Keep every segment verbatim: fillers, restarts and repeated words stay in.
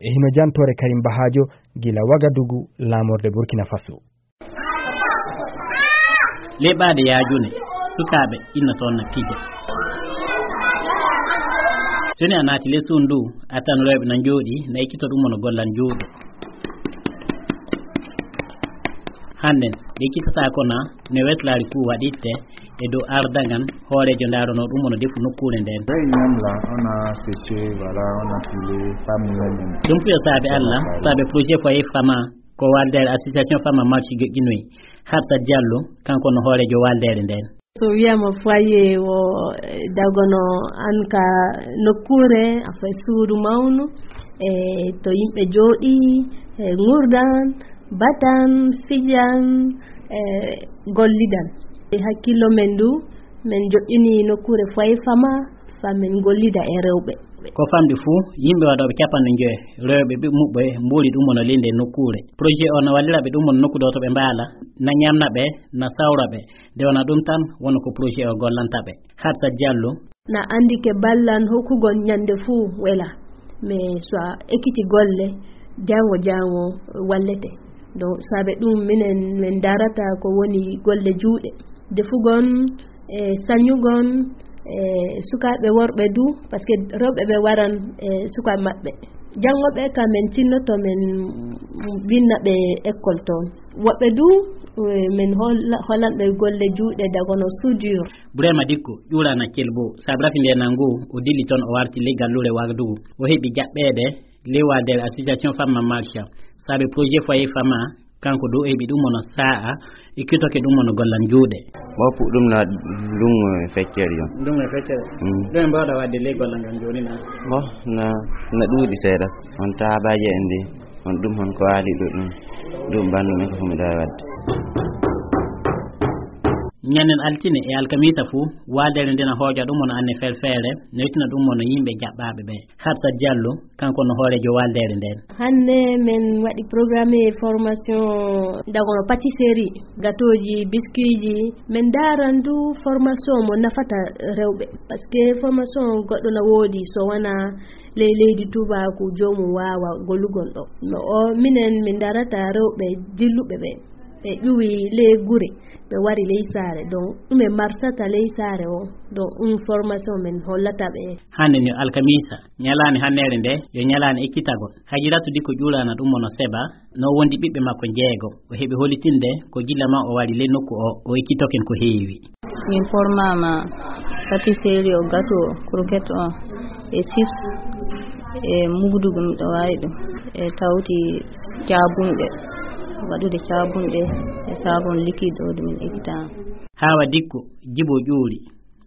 E hino jantoore Karim Bahajo gila Wagadugu, laamorde Burkina Faso. Leɓaade yaajune, sukaaɓe inna toon na pija. So ni a naati ley suudu ndu, a tan rewɓe na njooɗi, na ekkito ɗum wano gollan juuɗe. Hannden, ɓe ekkitataa ko na ne weslaari fuu waɗitte e dow ardaŋan hooreejo ndaaronoo ɗum wano defu nokkuure ndeen. Ley ñam la, on a séché, voilà, on a pilé, pas mieux. Ɗum fuu yo saabe Alla, saabe projet Foyer Fama, ko waldeere association Fama Marche joƴƴinoyi. Hafsat Diallo, kanko no hooreejo waldeere ndeen. So wiyaama foyer o, eh, dagono an ka nokkuure, a fay suudu mawnu, e to yimɓe jooɗi, e ngurdan, batan, fijan, e gollidan. E hakkillo men du, men joƴƴini nokkuure Foyer Fama, fa men gollida e rewɓe. Ko famɗi fuu, yimɓe waɗooɓe capanɗe njoyo, rewɓe ɓiɓɓe muɓɓe, mbuuli ɗum wano linde nokkuure. Projet o na wallira ɓe ɗum wano nokku ɗo to ɓe mbaala, na ñamna ɓe, na sawra ɓe. Nde wona ɗum tan, wano ko projet o gollanta ɓe. Hafsat Diallo. Na anndi ke ballan hokkugol ñande fuu wela. Mais so a ekkiti golle, jaango jaango wallete. Donc, saabe ɗum minen min darata ko woni golle juuɗe. Defugol, e sañugol, e sukaaɓe worɓe du, parce que rewɓe ɓe waran e sukaaɓe maɓɓe. Janngo ɓe ka men tinnoto men winna ɓe école toon. Woɓɓe du, e, men holla-, hollan ɓe golle juuɗe dagono soudure. Burema Dikko, ƴuurana Kelbo, saabe rafi nde nangu, o dilli toon o warti ley galluure Wagadugu. O heɓi jaɓɓeede ley waldeere association Fama Marcha. Saabe projet Foyer Fama, kanko du o heɓi ɗum wano saa'a, e kitoke ɗum wano gollan juuɗe. Mo puɗɗum na lungo e feccere yon. Lungo e feccere? Mm. Ɗum en mbawɗa waɗde ley gollan ngan jooni na? Mo na, na ɗuuɗi seeɗa. On taabaaje en ndi, on ɗum hon ko waali ɗo ɗum. Ɗum bandu men ko fu mi ɗawi waɗde. Ñannen altine e alkamisa fuu, waldeere nden na hooja ɗum wano anne ferfeere, no yettina ɗum wano yimɓe jaɓɓaaɓe ɓe. Hafsat Diallo, kanko no hooreejo waldeere nden. Hannde men waɗi programme formation dagono pâtisserie, gâteauji, biscuitji. Men daaran du formation mo nafata rewɓe. Parce que formation goɗɗo na woodi so wona ley leydi tubaaku joomum waawa gollugol ɗo. No o minen min darata rewɓe dilluɓe ɓe. Ɓe ƴuwi ley gure, ɓe wari ley saare. Donc, ɗum e marsata ley saare o. Donc, ɗum formation men hollata ɓe. Hannde ni alkamisa, ñalaande hanndeere nde, yo ñalaande ekkitagol. Hajiratu Dikko ƴuurana ɗum wano Seba, no wondi ɓiɓɓe makko jeego. O heɓi hollitinde ko gilla ma o wari ley nokku o, o ekkitoken ko heewi. Min formaama pâtisserie o, gâteau o, croquette o, e chips, e mugdugu miɗo waawi ɗum, e tawti caabunɗe, waɗude caabunɗe, e savon liquide o ɗum min ekkitaa. Haawa Dikko, Jibo ƴuuri,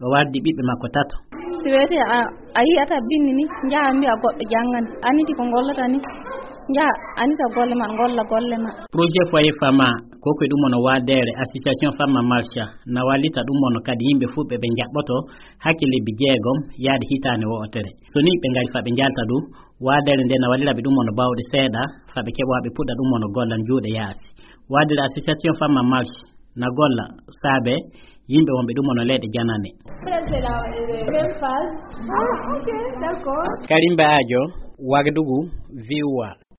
o wardi ɓiɓɓe makko tato. Si weeti a, a yi'ata binndi ni, njaha mbi'a goɗɗo janngana, aniti ko ngollata ni, njaha anita golle ma, ngolla golle ma. Projet Foyer Fama, ko ko ɗum wano wadeere association Fama Marcha, na wallita ɗum wano kadi yimɓe fuu ɓe ɓe njaɓɓoto hakke lebbi jeegom yaade hitaande wo'otere. So ni ɓe ngari fa ɓe njalta ɗum, wadeere nde na wallira ɓe ɗum wano bawɗe seeɗa, fa ɓe keɓa ɓe puɗɗa ɗum wano gollan juuɗe yaasi. Wadeere association Fama Marcha na golla saabe yimɓe wonɓe ɗum wano leyɗe janane. Karim Baajo, Wagadugu, V O A.